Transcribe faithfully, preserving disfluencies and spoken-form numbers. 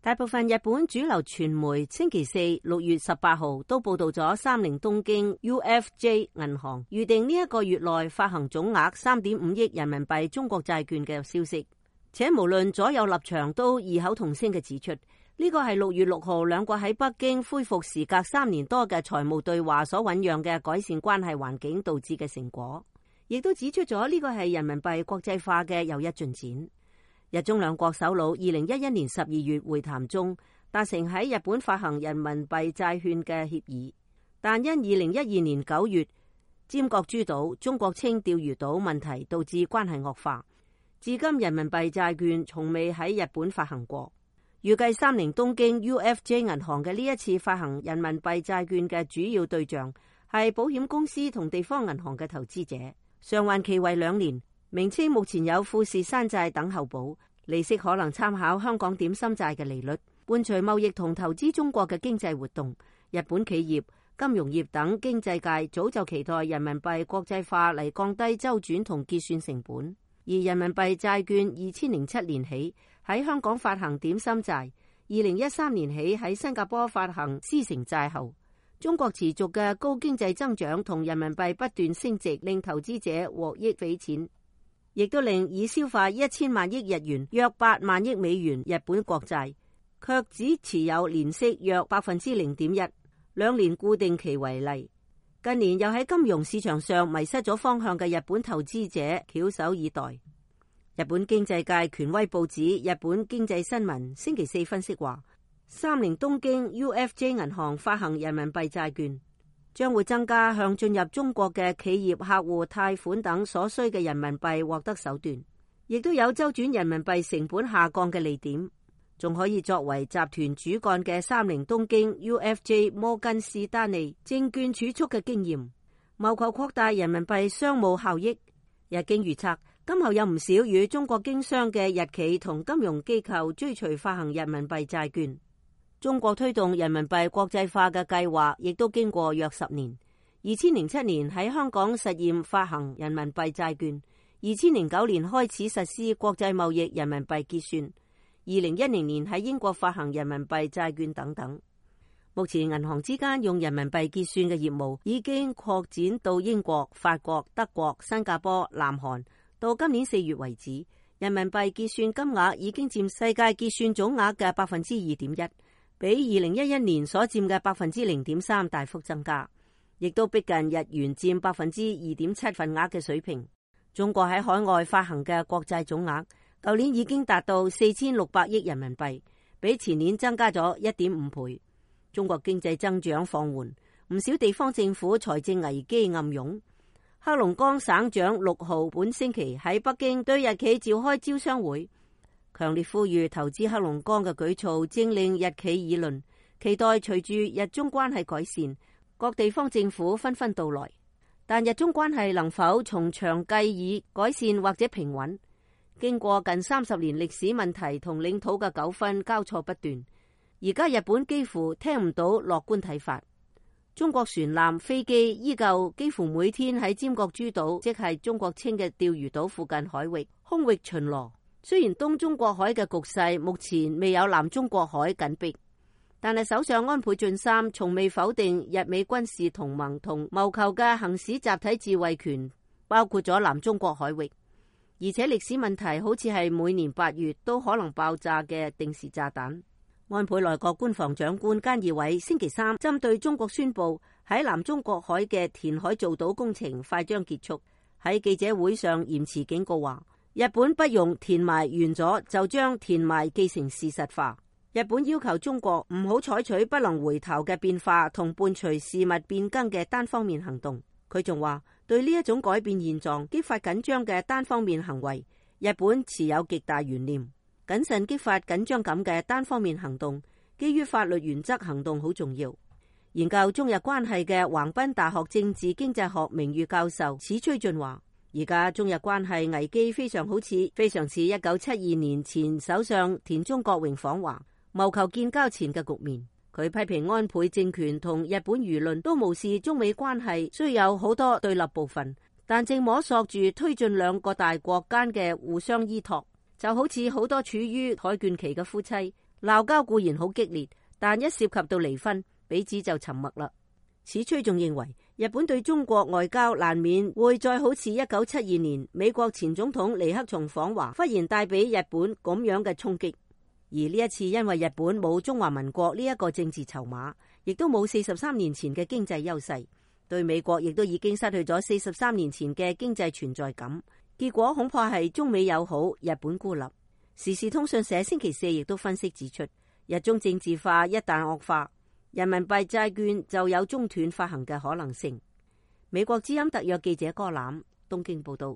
大部分日本主流傳媒星期四六月十八號都報道咗三菱東京 U F J 銀行預定呢一個月內發行總額三點五億人民幣中國債券嘅消息，且無論左右立場都異口同聲嘅指出，呢個係六月六號兩國喺北京恢復時隔三年多嘅財務對話所醞釀嘅改善關係環境導致嘅成果，亦都指出咗呢個係人民幣國際化嘅又一進展。日中兩國首腦二零一一年十二月會談中達成喺日本發行人民幣債券嘅協議，但因二零一二年九月尖閣諸島中國稱釣魚島問題導致關係惡化，至今人民幣債券從未喺日本發行過。預計三菱東京 U F J 銀行嘅呢一次發行人民幣債券嘅主要對象係保險公司同地方銀行嘅投資者，償還期為兩年。名稱目前有富士山債等候補，利息可能參考香港點心債嘅利率。伴隨貿易同投資中國嘅經濟活動，日本企業、金融業等經濟界早就期待人民幣國際化嚟降低周轉同結算成本。而人民幣債券二千零七年起喺香港發行點心債，二零一三年起喺新加坡發行獅城債後，中國持續嘅高經濟增長同人民幣不斷升值，令投資者獲益匪淺，亦都令已消化一千萬億日元約八萬億美元日本國債，卻只持有年息約百分之零點一，兩年固定期為例。近年又喺金融市場上迷失咗方向嘅日本投資者翹首以待。日本經濟界權威報紙《日本經濟新聞》星期四分析話，三菱東京 U F J 銀行發行人民幣債券，將會增加向進入中國嘅企業客戶貸款等所需嘅人民幣獲得手段，亦都有周轉人民幣成本下降嘅利點，仲可以作為集團主幹嘅三菱東京 U F J 摩根士丹利證券儲蓄嘅經驗，謀求擴大人民幣商務效益。日經預測，今後有唔少與中國經商嘅日企同金融機構追隨發行人民幣債券。中國推動人民幣國際化嘅計劃亦都經過約十年。二千零七年喺香港實驗發行人民幣債券，二千零九年開始實施國際貿易人民幣結算，二零一零年喺英國發行人民幣債券等等。目前銀行之間用人民幣結算嘅業務已經擴展到英國、法國、德國、新加坡、南韓。到今年四月為止，人民幣結算金額已經佔世界結算總額嘅百分之二點一，比二零一一年所佔嘅百分之零點三大幅增加，亦都逼近日元佔百分之二點七份額嘅水平。中國喺海外發行嘅國債總額，舊年已經達到四千六百億人民幣，比前年增加咗一點五倍。中國經濟增長放緩，唔少地方政府財政危機暗湧。黑龍江省長六號本星期喺北京對日企召開招商會，強烈呼籲投資黑龍江嘅舉措正令日企議論，期待隨住日中關係改善，各地方政府紛紛到來。但日中關係能否從長計議改善或者平穩？經過近三十年歷史問題同領土嘅糾紛交錯不斷，而家日本幾乎聽唔到樂觀睇法。中國船艦、飛機依舊幾乎每天喺尖閣諸島，即係中國稱嘅釣魚島附近海域空域巡邏。雖然東中國海嘅局勢目前未有南中國海緊迫，但係首相安倍晉三從未否定日美軍事同盟同謀求嘅行使集體自衛權，包括咗南中國海域。而且歷史問題好似係每年八月都可能爆炸嘅定時炸彈。安倍內閣官房長官菅義偉星期三針對中國宣布喺南中國海嘅填海造島工程快將結束，喺記者會上嚴詞警告話，日本不容填埋完咗就將填埋既成事實化。日本要求中國唔好採取不能回頭嘅變化同伴隨事物變更嘅單方面行動。佢仲話，對呢一種改變現狀、激發緊張嘅單方面行為，日本持有極大懸念。謹慎激發緊張感嘅單方面行動，基於法律原則行動好重要。研究中日關係嘅橫濱大學政治經濟學名譽教授史崔俊話，而家中日關係危機非常好似非常似一九七二年前首相田中角榮訪華謀求建交前嘅局面。佢批評安倍政權同日本輿論都無視中美關係雖有好多對立部分，但正摸索住推進兩個大國間嘅互相依託。就好似好多處於海倦期嘅夫妻鬧交固然好激烈，但一涉及到離婚，彼此就沉默啦。史崔仲認為，日本對中國外交難免會再好似一九七二年美國前總統尼克松訪華，忽然帶俾日本咁樣嘅衝擊。而呢一次因為日本冇中華民國呢一個政治籌碼，亦都冇四十三年前嘅經濟優勢，對美國亦都已經失去咗四十三年前嘅經濟存在感。結果恐怕係中美友好，日本孤立。時事通訊社星期四亦都分析指出，日中政治化一旦惡化，人民幣債券就有中斷發行嘅可能性。美國之音特約記者柯欖東京報道。